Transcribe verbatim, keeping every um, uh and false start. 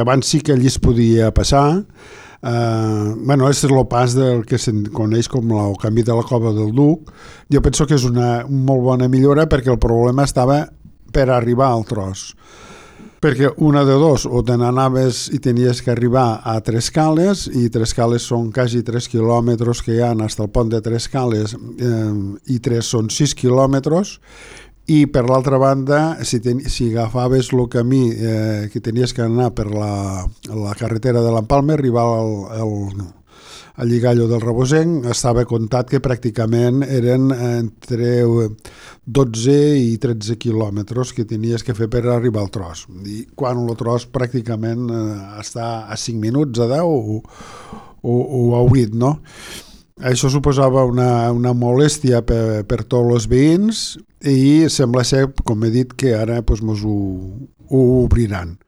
Abans sí que allí es podia passar. Uh, bueno, és el pas del que se'n coneix com el canvi de la Cova del Duc. Jo penso que és una molt bona millora perquè el problema estava per arribar al tros. Perquè una de dos, o te n'anaves i tenies que arribar a Trescales, i Trescales són quasi tres quilòmetres que hi ha fins al pont de Trescales, eh, i tres són sis quilòmetres, i per l'altra banda, si, ten, si agafaves el camí eh, que tenies que anar per la, la carretera de l'Empalme, arribar al, al, al Lligallo del Rebosenc, estava comptat que pràcticament eren entre dotze i tretze quilòmetres que tenies que fer per arribar al tros. I quan el tros pràcticament eh, està a cinc minuts, a deu o, o, o a vuit, no? Això suposava una, una molèstia per, per tots els veïns i sembla ser, com he dit, que ara pues, mos ho, ho obriran.